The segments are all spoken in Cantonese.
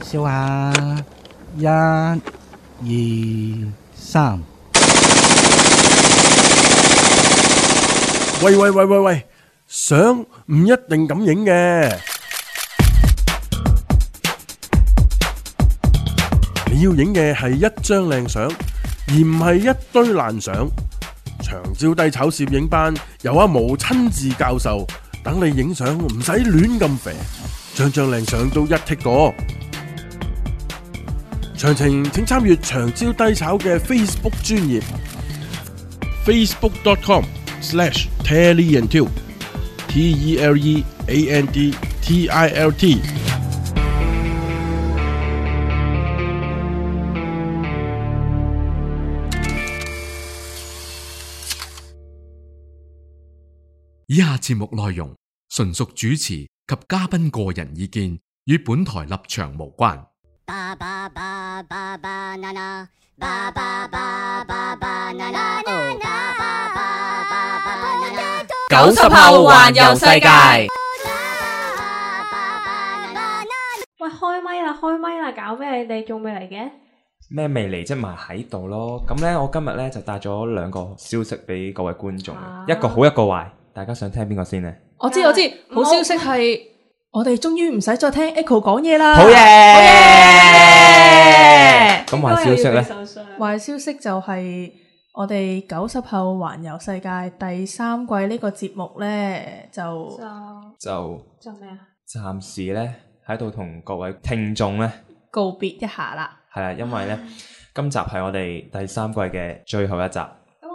笑下，1、2、3。喂，相唔一定咁影嘅，你要影嘅係一張靚相，而唔係一堆爛相。長招低炒攝影班由阿毛親自教授，等你影相唔使亂咁肥，張靚相都一剔過。詳情請參閱長招低炒嘅 Facebook 專頁 facebook.com/TeleandTilt TELEANDTILT。以下節目內容純屬主持及嘉賓個人意見，與本台立場無關。90後環遊世界。喂，開咪啦，搞咩？你哋仲未嚟嘅？咩未嚟啫？咪喺度咯。咁呢，我今日呢就帶咗2個消息俾各位觀眾，一個好，一個壞。大家想聽邊個先呢？我知，好消息係我哋終於唔使再聽 Echo 講嘢啦。好嘢！咁壞消息呢？壞消息就係我哋90後環遊世界第3季呢個節目呢，就咩啊？暫時呢喺度同各位聽眾呢告別一下啦。係啦，因為呢今集係我哋第3季嘅最後一集。咁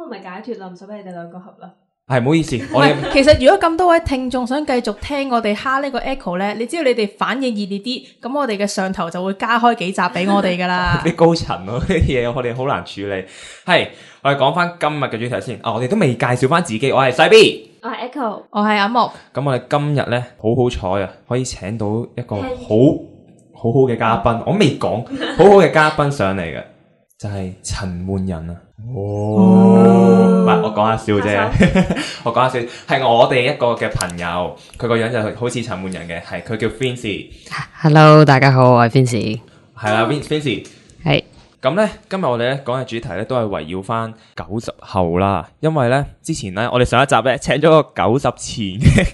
我咪解脫啦，唔使俾你哋2個合啦。係，唔好意思，其實如果咁多位聽眾想繼續聽我哋蝦呢個 Echo 呢，你只要你哋反應熱烈啲，咁我哋嘅上頭就會加開幾集俾我哋噶啦。啲高層咯，呢啲嘢我哋好難處理。係，我哋講翻今日嘅主題先。我哋都未介紹翻自己，我係細 B， 我係 Echo， 我係阿木。咁我哋今日呢，好彩啊，可以請到一個好好嘅嘉賓。我未講好好嘅嘉賓上嚟嘅，就係陳奐仁啊。唔係，我講下笑啫，我講下笑，係我哋一個嘅朋友，佢個樣就好似陳奐仁嘅，係佢叫 Vincy。Hello， 大家好，我係 Vincy。係啦，Vincy。係。咁咧，今日我哋咧講嘅主題咧都係圍繞翻90後啦，因為咧之前咧我哋上一集咧請咗個90前嘅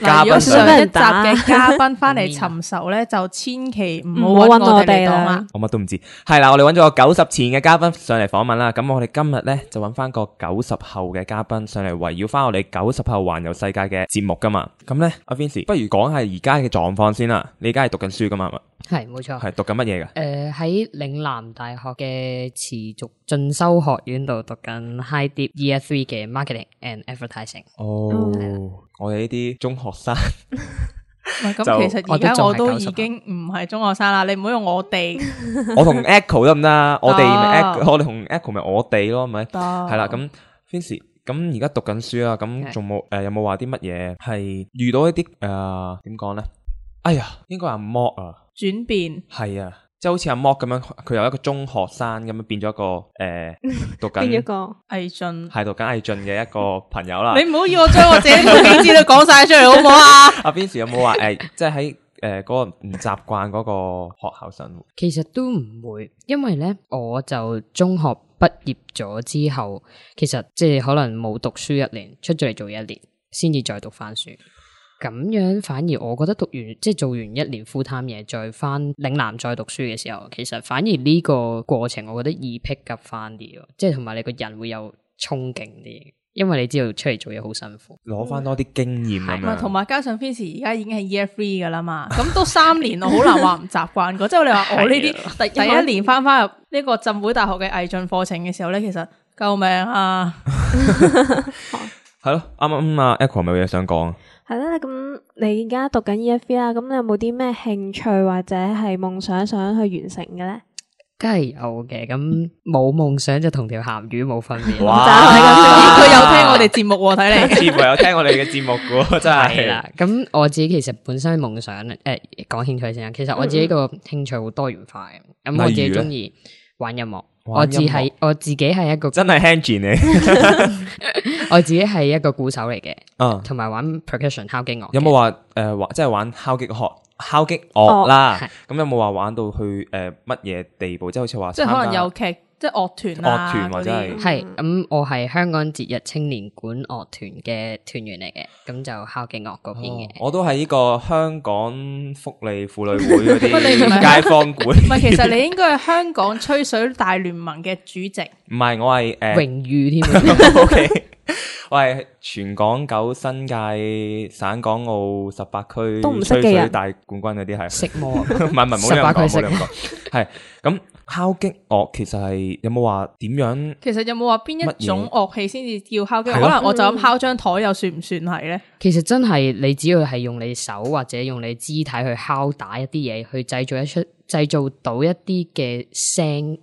嘉賓，如果上一集嘅嘉賓翻嚟尋仇咧，就千祈唔好揾我哋啦。我乜都唔知。係啦，我哋揾咗個90前嘅嘉賓上嚟訪問啦。咁我哋今日咧就揾翻個90後嘅嘉賓上嚟圍繞翻我哋90後環遊世界嘅節目噶嘛。咁咧，阿 Vincy， 不如講下而家嘅狀況先啦。你而家係讀緊書噶嘛？係，冇錯。係讀緊乜嘢噶？喺嶺南大學嘅持續進修學院度讀緊 High Dip Year 3嘅 Marketing and Advertising。我哋呢啲中學生。咁其實而家我都已經唔係中學生啦，你唔好用我哋。我同 Echo 得唔得？我哋同 Echo 咪我哋咯，係咪？係啦，咁 Vincy， 咁而家讀緊書啦，咁仲冇有冇話啲乜嘢係遇到一啲點講咧？哎呀，應該阿 Mock 啊，轉變係啊，即係好似阿 Mock 咁樣，佢由一個中學生咁樣變咗一個讀緊變咗個毅進，係讀緊毅進嘅一個朋友啦。你唔好要我將我自己背景資料講晒出嚟好唔好啊？阿 Vincy 有冇話即係喺嗰個唔習慣嗰個學校生活？其實都唔會，因為咧我就中學畢業咗之後，其實即係可能冇讀書1年，出咗嚟做1年，先至再讀翻書。咁樣反而我覺得讀完即係做完1年 full time 嘢，再翻嶺南再讀書嘅時候，其實反而呢個過程我覺得易 pick up 翻啲咯，即係同埋你個人會有衝勁啲，因為你知道出嚟做嘢好辛苦，攞翻多啲經驗咁樣。同埋加上 Vincy 而家已經係 year 3噶啦嘛，咁都3年我好難話唔習慣過。即係你話我呢啲第1年翻入呢個浸會大學嘅毅進課程嘅時候咧，其實救命啊！係咯，啱啱阿 Echo 咪有嘢想講。係啦，咁你而家讀緊 Year 3啦，咁你有冇啲咩興趣或者係夢想想去完成嘅咧？梗係有嘅，咁冇夢想就同條鹹魚冇分別。哇！佢有聽我哋節目喎，睇嚟。似乎有聽我哋嘅節目嘅，真係啦。咁我自己其實本身夢想講興趣先，其實我自己個興趣好多元化嘅。咁我自己中意玩音樂。我自己係一個真係 handy 你，我自己係一個鼓手嚟嘅，同埋玩 percussion 敲擊樂。有冇話即係玩敲擊樂敲擊樂啦係。咁有冇話玩到去乜嘢地步？即係好似話即係可能參加有劇，即係樂團啊，樂團或者係嗰啲係咁，我係香港節日青年管樂團嘅團員嚟嘅，咁就敲擊樂嗰邊嘅。我都係呢個香港福利婦女會嗰喂你唔係啲街坊館。唔係，其實你應該係香港吹水大聯盟嘅主席。唔係，我係榮譽添啊， OK，我係全港九新界省港澳18區都唔識嘅人吹水大冠軍嗰啲係。食魔啊唔係，唔好咁18講，區唔好咁講。係咁敲擊樂其實係有冇話點樣？其實有冇話邊一種樂器先至叫敲擊？可係咯能我就咁敲張台又算唔算係咧？其實真係你只要係用你手或者用你肢體去敲打一啲嘢，去製造到一啲嘅聲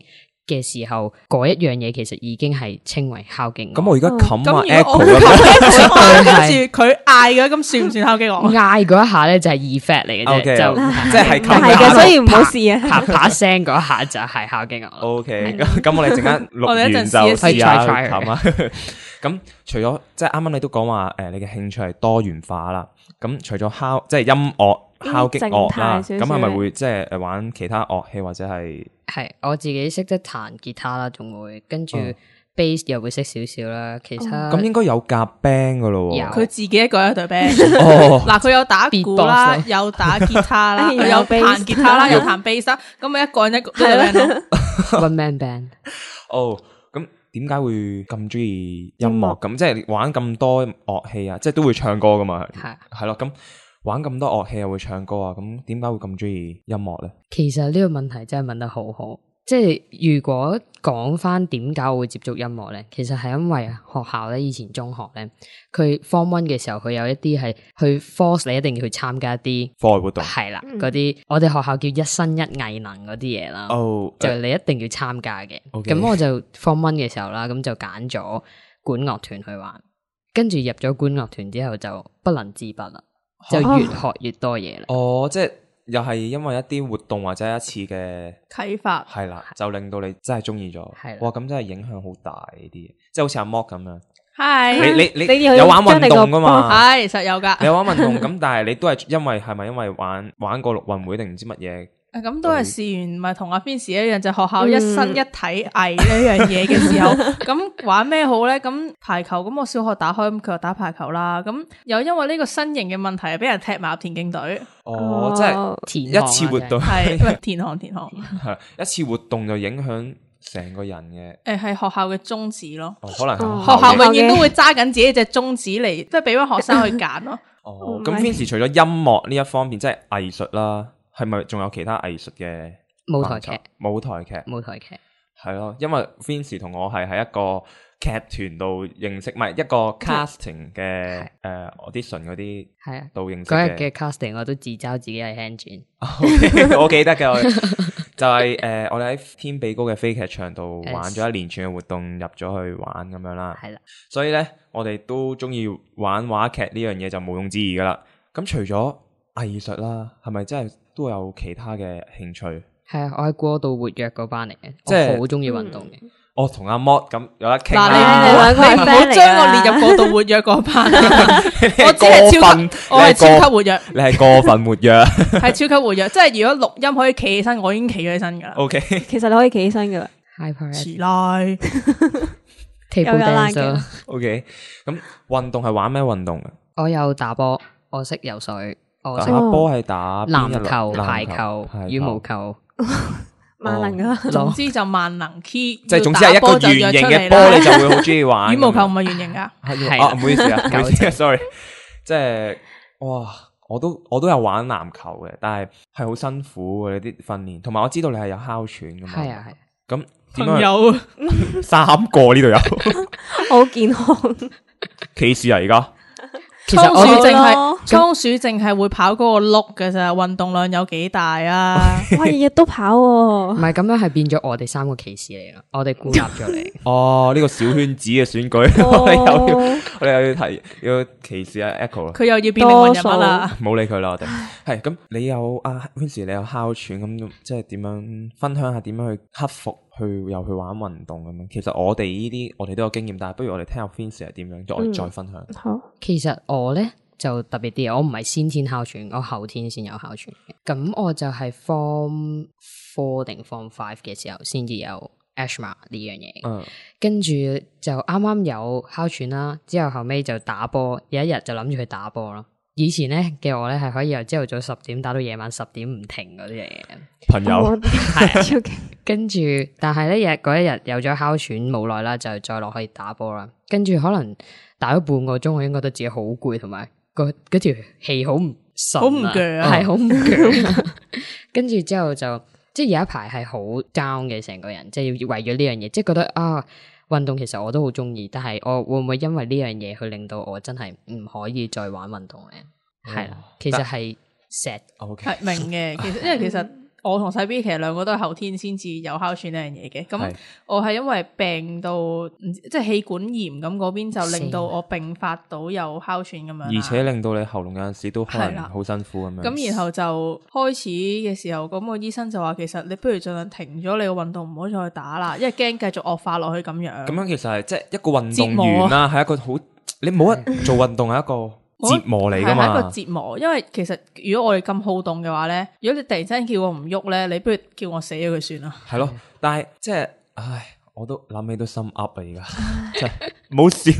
嘅時候，嗰一樣嘢其實已經係稱為敲擊樂。咁我而家冚咁下如果我 echo 咁樣。跟住佢嗌嘅，咁算唔算敲擊樂？嗌嗰一下咧就係 effect 嚟嘅啫， OK，就即係唔係嘅，所以唔好試啊。啪啪聲嗰一下就係敲擊樂咯。 OK，咁我哋陣間錄我哋一陣完就試一試試下 try 冚啊。咁除咗即係啱啱你都講話你嘅興趣係多元化啦。咁除咗即係音樂敲擊樂啦，靜態少少咁係咪會即係玩其他樂器或者係？係我自己識得彈吉他啦，仲會跟住嗯 bass 又會識少少啦。其他咁應該有夾 band 噶咯有喎。佢自己一個一隊 band。哦，嗱，佢有打鼓啦， Beatbox 有打吉他啦，有佢有 bass 彈吉他啦，有彈 bass 啦，咁咪一個人一個隊 band 咯。 one man band 哦，咁點解會咁中意音樂？音樂咁即係玩咁多樂器啊，即係都會唱歌噶嘛？係。係咯，咁玩咁多樂器又會唱歌啊，咁點解會咁中意音樂咧？其實呢個問題真係問得好好，即係如果講翻點解我會接觸音樂咧，其實係因為學校咧，以前中學咧，佢 Form 1嘅時候，佢有一啲係去 force 你一定要去參加一啲課外活動。係啦，嗰啲我哋學校叫一生一藝能嗰啲嘢啦。哦，就你一定要參加嘅， OK 咁我就 Form 1嘅時候啦，咁就揀咗管樂團去玩，跟住入咗管樂團之後就不能自拔啦，就越學越多嘢啦。哦，即係又係因為一啲活動或者一次嘅啟發係啦，就令到你真係中意咗。係啦哇，咁真係影響好大呢啲嘢，即係好似阿 Mock 咁樣。係你你要有玩運將你個動噶嘛？係實有㗎。你有玩運動咁，但係你都係係咪因為玩過陸運會定唔知乜嘢？咁都係試完，咪同阿 Vince 一樣，就學校一生一體藝呢樣嘢嘅時候，咁玩咩好咧？咁排球，咁我小學打開，咁佢又打排球啦。咁又因為呢個身形嘅問題，俾人踢埋入田徑隊，哦，即係填一次活動係唔係田項？係一次活動就影響成個人嘅。係學校嘅宗旨咯。哦，可能係學校嘅永遠都會揸緊自己隻宗旨嚟，即係俾翻學生去揀咯。哦，咁 Vince 除咗音樂呢一方面，即係藝術啦，係咪仲有其他藝術嘅舞台劇範疇舞台劇舞台劇係咯，因為 Vince 同我係喺一個劇團度認識，唔係一個 casting 嘅audition 嗰啲係啊，度認識嗰日嘅嘅。casting 我都自嘲自己係 hand 轉，我記得嘅，就係我哋喺天比高嘅飛劇場度玩咗一連串嘅活動，入咗去玩咁樣啦。係啦。所以咧，我哋都中意玩話劇呢樣嘢就毋庸置疑噶啦。咁除咗藝術啦，係咪真係都有其他嘅興趣？係啊，我係過度活躍嗰班嚟嘅，即係我好中意運動嘅。我同阿 Mod 咁有得傾嗱，啦。你唔好將我列入過度活躍嗰班啊。我只係超級，我係超級活躍，你係過分活躍。係超級活躍。即係如果錄音可以企起身，我已經企咗起身噶啦。 OK，其實你可以企起身噶啦。 Hyper 遲拉 table 有 dance 嘅咯， OK。咁運動係玩咩運動啊？我有打波，我識游水，我識打波係打邊一類籃球、籃排球、羽毛球。萬能噶啦。總之就萬能 key，即係總之係一個圓形嘅波，你就會好中意玩。羽毛球唔係圓形噶，係啊，唔好意思啊，唔好意思啊，sorry。即係哇，我都有玩籃球嘅，但係係好辛苦嘅你啲訓練，同埋我知道你係有哮喘噶嘛。係啊係。咁點朋樣？友3個呢度有好健康。歧視啊！而家其實倉鼠我淨係咯倉鼠淨係會跑嗰個碌嘅咋，運動量有幾大啊？哇，日日都跑喎。唔係咁樣係變咗我哋3個歧視嚟咯，我哋孤立咗你。哦，呢個小圈子嘅選舉，哦我哋又要歧視阿 Echo 啦。佢又要變靈魂人物啦。冇理佢啦，我哋係咁。你有Vince，你有哮喘咁，即係點樣分享下點樣去克服，又去玩運動咁樣？其實我哋呢啲我哋都有經驗，但係不如我哋聽下 Vince 係點樣，我哋再分享。好，其實我咧就特別啲，我唔係先天哮喘，我後天先有哮喘嘅。咁我就係 Form 4定 Form 5嘅時候先至有 asthma 呢樣嘢。跟住就啱啱有哮喘啦，之後後尾就打波，有一日就諗住去打波咯。以前咧嘅我咧係可以由朝頭早10點打到夜晚10點唔停嗰啲嚟嘅。朋友係，跟住但係咧嗰一日有咗哮喘冇耐啦，就再落去打波啦。跟住可能打咗半個鐘，我已經覺得自己好攰，同埋嗰條氣好唔順，好唔鋸啊，係好唔鋸。跟住之後就即係有一排係好 down 嘅成個人，即係要為咗呢樣嘢，即係覺得啊運動其實我都好中意，但係我會唔會因為呢樣嘢去令到我真係唔可以再玩運動咧？係啦，其實係 sad。係明嘅，其實因為其實我同細 B 其實兩個都係後天先至有哮喘呢樣嘢嘅。咁我係因為病到即係氣管炎咁嗰邊，就令到我併發到有哮喘咁樣，而且令到你喉嚨有陣時都可能好辛苦咁樣。咁然後就開始嘅時候，咁個醫生就話其實你不如盡量停咗你個運動，唔好再去打啦，因為驚繼續惡化落去咁樣。咁樣其實係即係一個運動員啦，係一個好你冇得做運動係一個折磨嚟噶嘛，係一個折磨。因為其實如果我哋咁好動嘅話咧，如果你突然之間叫我唔喐咧，你不如叫我死咗佢算啦。係咯，但係即係，唉，我都諗起都心噏啊！而家真係唔好笑，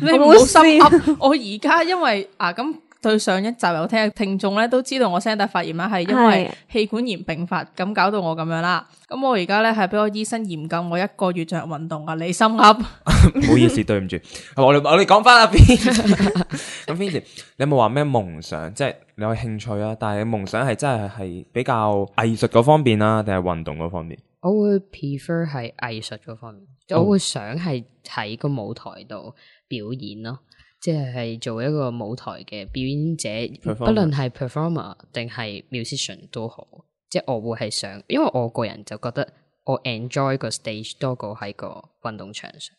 你唔好心噏。我而家因為咁對上一集有聽嘅聽眾咧都知道我聲帶發炎啦，係因為氣管炎併發，咁搞到我咁樣啦。咁我而家咧係俾我醫生嚴禁我1個月進行運動啊！你心噏，唔好意思，對唔住。我哋講翻阿 Vincy，咁 Vincy，你有冇話咩夢想？即係你有興趣啊，但係夢想係真係比較藝術嗰方面啊，定係運動嗰方面？我會 prefer 係藝術嗰方面，我會想係喺個舞台度表演咯。即係做一個舞台嘅表演者，不論係 performer 定係 musician 都好。即係我會係想，因為我個人就覺得我 enjoy 個 stage 多過喺個運動場上。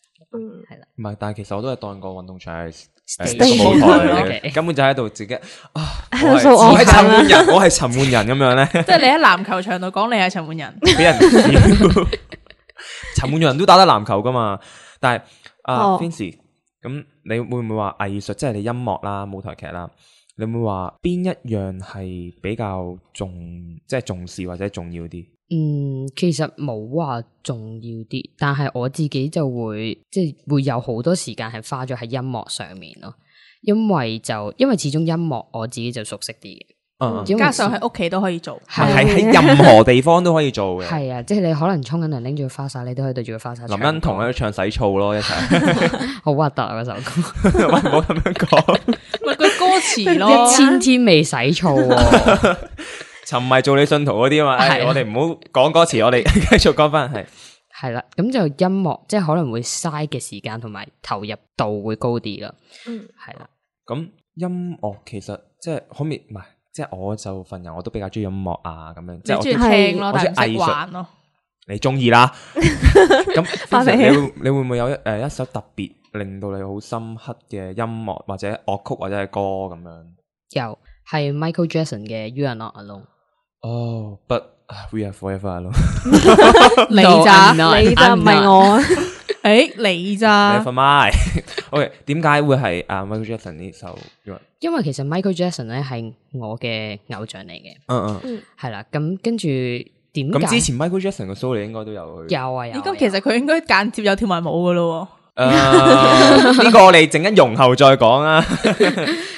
係啦。唔係，但係其實我都係當個運動場係個舞台嚟嘅，根本就喺度自己我係陳奐仁，我係陳奐仁咁樣咧。即係你喺籃球場度講你係陳奐仁，俾人笑。陳奐仁都打得籃球噶嘛？但係Vincy。咁你會唔會話藝術，即係你音樂啦、舞台劇啦，你會唔會話邊一樣係比較重視或者重要啲？其實冇話重要啲，但係我自己就會會有好多時間係花咗喺音樂上面咯，因為始終音樂我自己就熟悉啲嘅。加上喺屋企都可以做，係喺任何地方都可以做嘅。係啊，即係你可能沖緊涼拎住個花灑，你都可以對住個花灑。林欣彤喺度唱洗澡咯，一齊好核突啊！嗰首歌，唔好咁樣講。咪句歌詞咯，1000天未洗澡。沉迷做你信徒嗰啲啊嘛，我哋唔好講歌詞，我哋繼續講翻係啦。咁就音樂，即係可能會嘥嘅時間同埋投入度會高啲啦。係啦。咁音樂其實即係可唔可以唔係？即係我就份人我都比較中意音樂啊，咁樣即係我中意聽咯，但係唔識玩咯。你中意啦。咁你會唔會有一首特別令到你好深刻嘅音樂或者樂曲或者係歌咁樣？有，係 Michael Jackson 嘅 You Are Not Alone。哦，But We Are Forever Alone。你咋？你咋？唔係我。你咋 ？Never mind。OK， 點解會係Michael Jackson 呢首？因為其實 Michael Jackson 咧係我嘅偶像嚟嘅。係啦。咁跟住點解？咁之前 Michael Jackson 嘅 show 你應該都有去。有啊。咁其實佢應該間接有跳埋舞噶咯。呢個我哋陣間容後再講啊。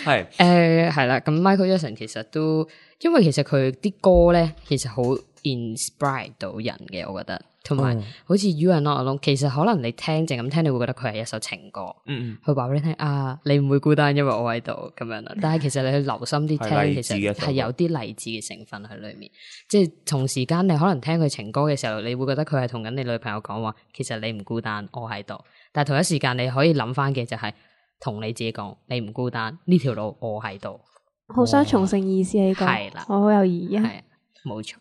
係係啦。咁 Michael Jackson 其實都，因為其實佢啲歌咧，其實好 inspire 到人嘅，我覺得。同埋好似 You Are Not Alone， 其實可能你淨咁聽，你會覺得佢係一首情歌。佢話俾你聽啊，你唔會孤單，因為我喺度咁樣啦。但係其實你去留心啲聽，其實係有啲勵志嘅成分喺裏面。即係同時間你可能聽佢情歌嘅時候，你會覺得佢係同緊你女朋友講話，其實你唔孤單，我喺度。但係同一時間你可以諗翻嘅就係同你自己講，你唔孤單，呢條路我喺度。好雙重性意思呢個，係啦，我好有意義啊。係冇錯，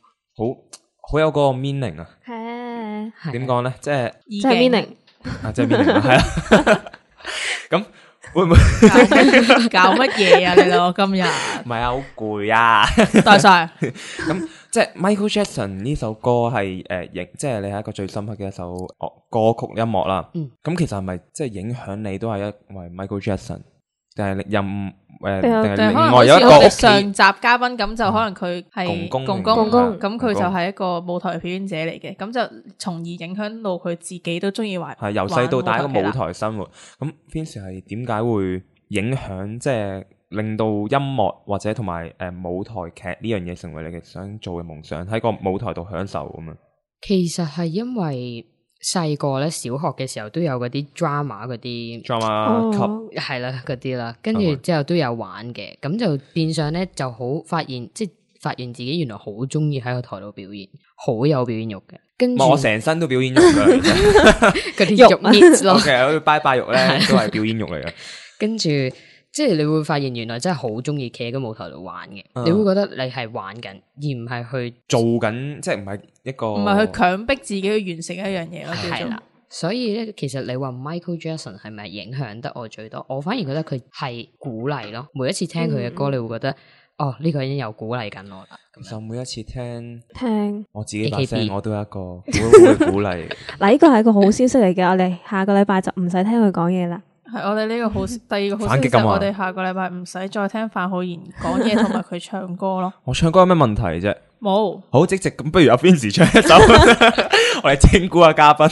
好有嗰個 meaning 啊。係點講咧？即係 meaning 即係 meaning 係啊。咁會唔會搞乜嘢啊？你兩個今日唔係啊，好攰啊！多謝。咁即係 Michael Jackson 呢首歌係即係你係一個最深刻嘅一首歌曲音樂啦。咁其實係咪即係影響你都係因為 Michael Jackson？定係任比較定係就係可能另外有一個好似我哋屋企上集嘉賓咁，就可能佢係公公公公公咁佢就係一個舞台表演者嚟嘅，咁就從而影響到佢自己都中意玩。係由細到大一個舞玩台生活。咁 Vincy 係點解會影響即係令到音樂或者同埋舞台劇呢樣嘢成為你嘅想做嘅夢想，喺個舞台度享受咁樣？其實係因為細個咧，小學嘅時候都有嗰啲 drama 嗰啲 drama 級哦係啦嗰啲啦，跟住之後都有玩嘅，咁就變相咧就好發現，即係發現自己原來好中意喺個台度表演，好有表演欲嘅。跟住我成身都表演欲㗎，其實嗰啲肉搣咯 OK，好似拜拜肉咧都係表演欲嚟嘅。跟住即係你會發現原來真係好中意企喺個舞台度玩嘅，嗯你會覺得你係玩緊，而唔係去做緊，即係唔係一個唔係去強迫自己去完成一樣嘢咯，叫做係啦。所以咧，其實你話 Michael Jackson 係咪影響得我最多？我反而覺得佢係鼓勵咯。每一次聽佢嘅歌，你會覺得哦，呢個人又鼓勵緊我啦。其實每一次聽聽我自己把聲， AKB 我都有一個好嘅鼓勵。嗱，呢個係一個好消息嚟嘅，我哋下個禮拜就唔使聽佢講嘢啦。係我哋呢個好，第二個好消息反擊咁啊就係我哋下個禮拜唔使再聽范浩然講嘢同埋佢唱歌咯。我唱歌有咩問題啫？冇，好積極咁，不如阿 Vincy 唱一首，我哋整蠱下嘉賓。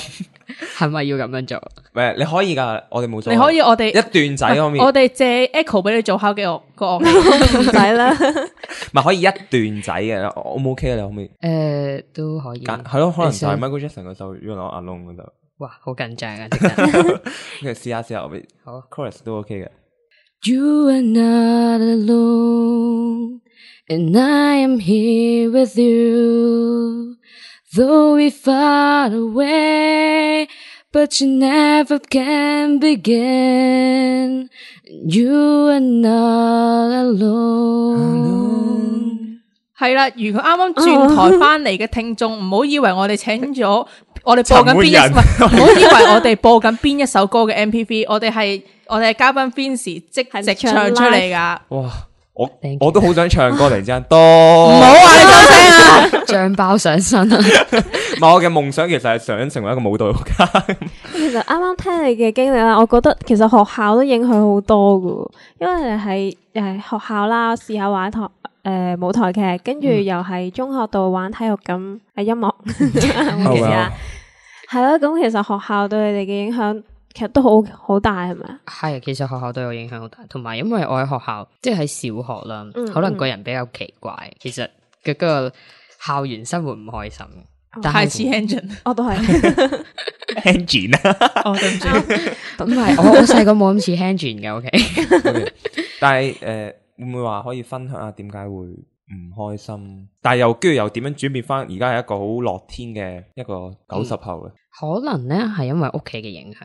係咪要咁樣做？喂，你可以㗎，我哋冇所謂。你可以我哋一段仔可唔可以？我哋借 Echo 俾你做敲擊樂個樂器。唔使啦，唔係可以一段仔嘅，O 唔 OK 啊？你可唔可以都可以。揀？係咯，可能就係你想 Michael Jackson 嗰首《You Know Alone》嗰度。哇，好緊張啊！即刻跟住試下，我哋好 chorus 都 OK 嘅。 You are not alone, and I am here with you. Though we far away, but you never can begin. You are not alone. 係啦，如果啱啱轉台翻嚟嘅聽眾，唔好以為我哋請咗我哋播緊邊一，陳唔好以為我哋播緊邊一首歌嘅 MPV，我哋係嘉賓 Vincy 即直唱出嚟噶。哇！ Thank you 我都好想唱歌，突然之間唔多。好話你收聲啊！醬包上身啊！唔係我嘅夢想，其實係想成為一個舞蹈家。其實啱啱聽你嘅經歷啦，我覺得其實學校都影響好多噶，因為你係學校啦，試下玩舞台劇，跟住又係中學度玩體育咁音樂，其實係咯。咁其實學校對你哋嘅影響其實都好大，係咪啊？係，其實學校對我影響好大，同埋因為我喺學校，即係喺小學啦，可能個人比較奇怪，其實嘅嗰個校園生活唔開心。但係太似 Engine，我都係 Engine 啊，哦對唔住，咁係我細個冇咁似 Hanjin 嘅，OK。但係會唔會話可以分享下點解會唔開心？但係跟住又點樣轉變翻？而家係一個好樂天嘅一個90後嘅。可能咧係因為屋企嘅影響，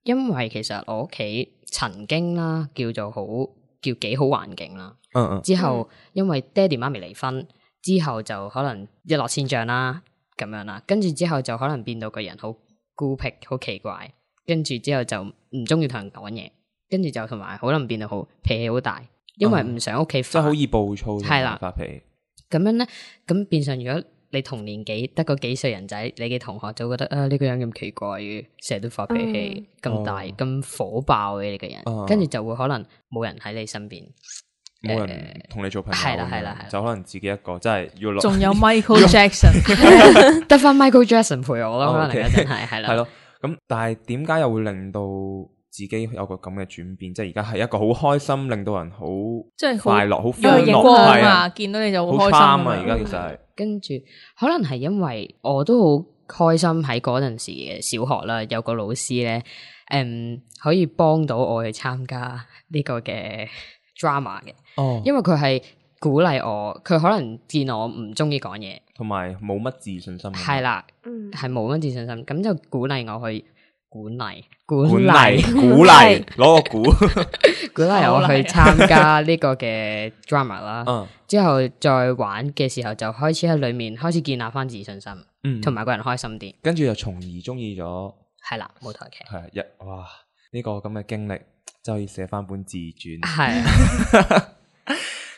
因為其實我屋企曾經啦叫幾好環境啦，之後因為爹哋媽咪離婚之後就可能一落千丈啦咁樣啦，跟住之後就可能變到個人好孤僻、好奇怪，跟住之後就唔中意同人講嘢，跟住就同埋可能變到好脾氣好大，因為唔想屋企即係好易暴躁，係啦發脾氣。咁樣咧，咁變相如果你同年紀得個幾歲人仔，你嘅同學就會覺得呢個人咁奇怪嘅，成日都發脾氣，咁大咁火爆嘅你個人，跟住就會可能冇人喺你身邊，冇人同你做朋友，係啦，就可能自己一個，真係要落。仲有 Michael Jackson，得翻 Michael Jackson 陪我咯，可能一陣係啦，係咯。咁但係點解又會令到自己有個咁嘅轉變？即係而家係一個好開心，令到人好即係快樂、好有熒歡樂光啊，係啊，見到你就好好開 charm 心啊！而家其實係跟住可能係因為我都好開心喺嗰陣時嘅小學啦，有個老師咧，可以幫到我去參加呢個嘅 drama 嘅，因為佢係鼓勵我，佢可能見我唔中意講嘢，同埋冇乜自信心。係啦，係冇乜自信心，咁就鼓勵我去鼓勵攞個鼓，鼓勵我去參加呢個嘅 drama 啦。之後再玩嘅時候，就開始喺裏面開始建立翻自信心，同埋個人開心啲。跟住又從而中意咗，係啦，舞台劇係哇呢個咁嘅經歷，就可以寫翻本自傳。係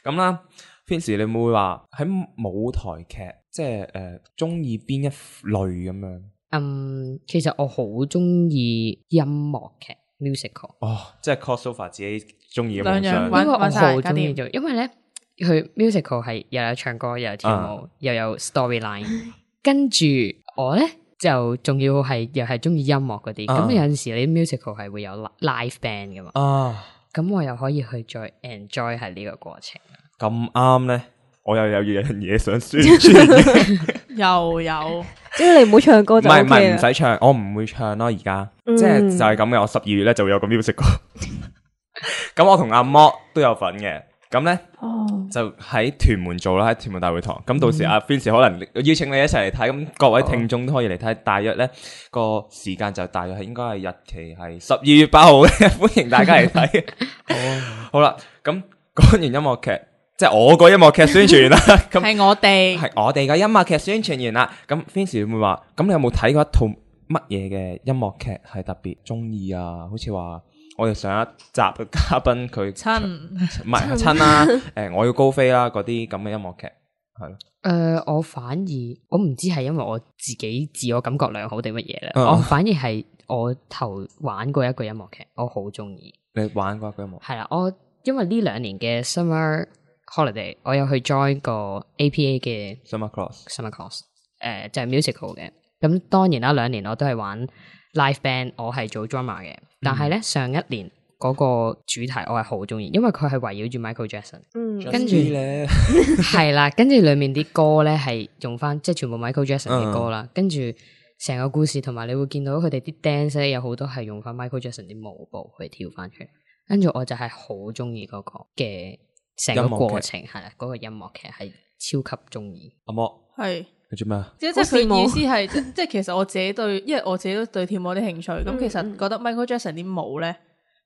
咁啦，Vincy 你會唔會話喺舞台劇，即係中意邊一類咁樣？其實我好中意音樂劇， musical。哦，即係 crossover 自己中意嘅兩樣夢想。玩因為我晒搞掂好中意做，因為咧佢 musical 係又有唱歌又有跳舞又有 storyline，跟住我咧就仲要係又係中意音樂嗰啲，咁有陣時你 musical 係會有 live band 噶嘛，咁我又可以去再 enjoy 係呢個過程。咁啱咧，我又有樣嘢想宣傳。又有，只要你唔好唱歌就 OK 啦。唔使唱，我唔會唱咯。而家即係就係咁嘅。我12月咧就會有個 musical。咁我同阿摩都有份嘅。咁咧就喺屯門做啦，喺屯門大會堂。咁到時阿 Vince 可能邀請你一齊嚟睇，咁各位聽眾都可以嚟睇。大約咧個時間就大約係應該係日期係12月8號嘅，歡迎大家嚟睇。好啦，咁講完音樂劇。即係我個音樂劇宣傳啦，咁係我哋嘅音樂劇宣傳完啦。咁 Vince 會唔會話？咁你有冇睇過一套乜嘢嘅音樂劇係特別中意啊？好似話我哋上一集嘅嘉賓佢親唔係親啦，我要高飛啦嗰啲咁嘅音樂劇係咯。我反而我唔知係因為我自己自我感覺良好定乜嘢咧，我反而係我頭玩過一個音樂劇，我好中意。你玩過一個音樂劇？係啦，我因為呢2年嘅 summer holiday， 我有去 join 個 APA 嘅 summer course，就係 musical 嘅。咁當然啦，2年我都係玩 live band， 我係做 drummer 嘅。但係咧上一年嗰個主題我係好中意，因為佢係圍繞住 Michael Jackson，跟住咧係啦，跟住裏面啲歌咧係用翻即係全部 Michael Jackson 嘅歌啦，跟住成個故事同埋你會見到佢哋啲 dance 咧有好多係用翻 Michael Jackson 啲舞步去跳翻出嚟，跟住我就係好中意嗰個嘅。成個過程係啦，嗰個音樂劇係超級中意。阿莫係你做咩啊？即係佢意思係即係其實我自己對，因為我自己都對跳舞有啲興趣，咁其實覺得 Michael Jackson 啲舞咧，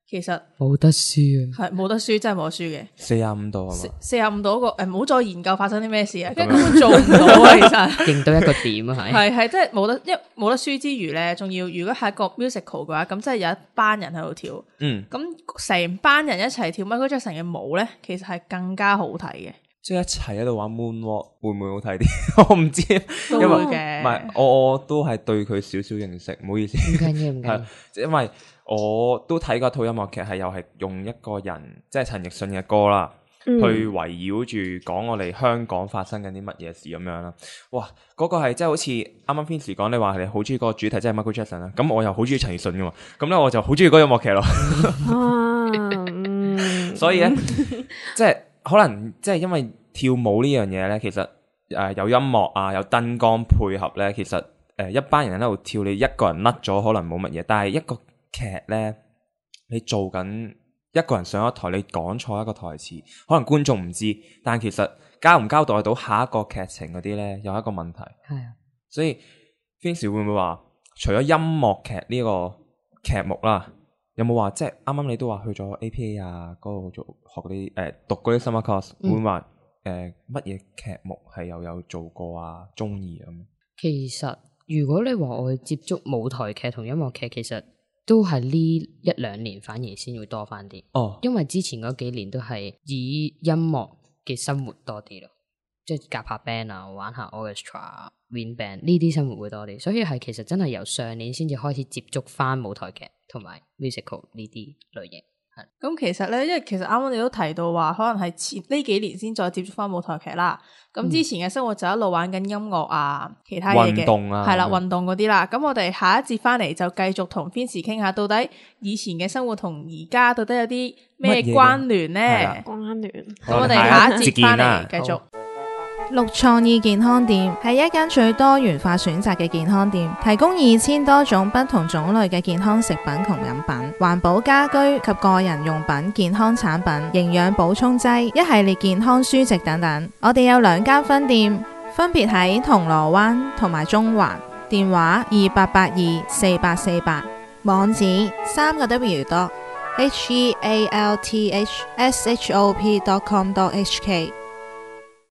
其實冇得輸啊，係冇得輸，真係冇得輸嘅。45度係嘛？45度嗰個唔好再研究發生啲咩事啊，根本做唔到啊！其實勁到一個點啊，係即係冇得，因為冇得輸之餘咧，仲要如果係一個 musical 嘅話，咁即係有一班人喺度跳，咁成班人一齊跳 Michael Jackson 嘅舞咧，其實係更加好睇嘅。即係一齊喺度玩 moonwalk 會唔會好睇啲？我唔知，因為唔係我都係對佢少少認識，唔好意思。唔緊要，唔緊要。因為我都睇過套音樂劇，係又係用一個人，即係陳奕迅嘅歌啦，去圍繞住講我哋香港發生緊啲乜嘢事咁樣啦。哇，嗰個係即係好似啱啱 Vince 講，你話你好中意嗰個主題，即係 Michael Jackson 啦。咁我又好中意陳奕迅噶嘛，咁咧我就好中意嗰個音樂劇咯。所以咧，即係可能即係因為跳舞呢樣嘢咧，其實有音樂啊，有燈光配合咧，其實一班人喺度跳，你一個人甩咗可能冇乜嘢，但係一個劇咧，你做緊一個人上一台，你講錯一個台詞，可能觀眾唔知，但其實交唔交代到下一個劇情嗰啲咧，有一個問題。係啊，所以 Vince 會唔會話，除咗音樂劇呢個劇目啦，有冇話即係啱啱你都話去咗 APA 啊嗰度做學嗰啲讀嗰啲 summer course，會唔會話乜嘢劇目係又有做過啊？中意咁？其實如果你話我去接觸舞台劇同音樂劇，其實都係呢1-2年反而先會多翻啲。因為之前嗰幾年都係以音樂嘅生活多啲咯，即係夾下 band 啊，玩下 orchestra、wind band 呢啲生活會多啲，所以係其實真係由上年先至開始接觸翻舞台劇同埋 musical 呢啲類型。咁其實咧，因為其實啱啱你都提到話，可能係呢幾年先再接觸翻舞台劇啦。咁之前嘅生活就一路玩緊音樂啊，其他嘢嘅，運動啊，係啦，運動嗰啲啦。咁我哋下一節翻嚟就繼續同 Vince 傾下，到底以前嘅生活同而家到底有啲咩關聯咧？關聯。咁我哋下一節翻嚟繼續。綠創意健康店係一間最多元化選擇嘅健康店，提供2000多種不同種類嘅健康食品同飲品、環保家居及個人用品、健康產品、營養補充劑、一系列健康書籍等等。我哋有2間分店，分別喺銅鑼灣同埋中環，電話28824848，網址3w.healthshop.com.hk。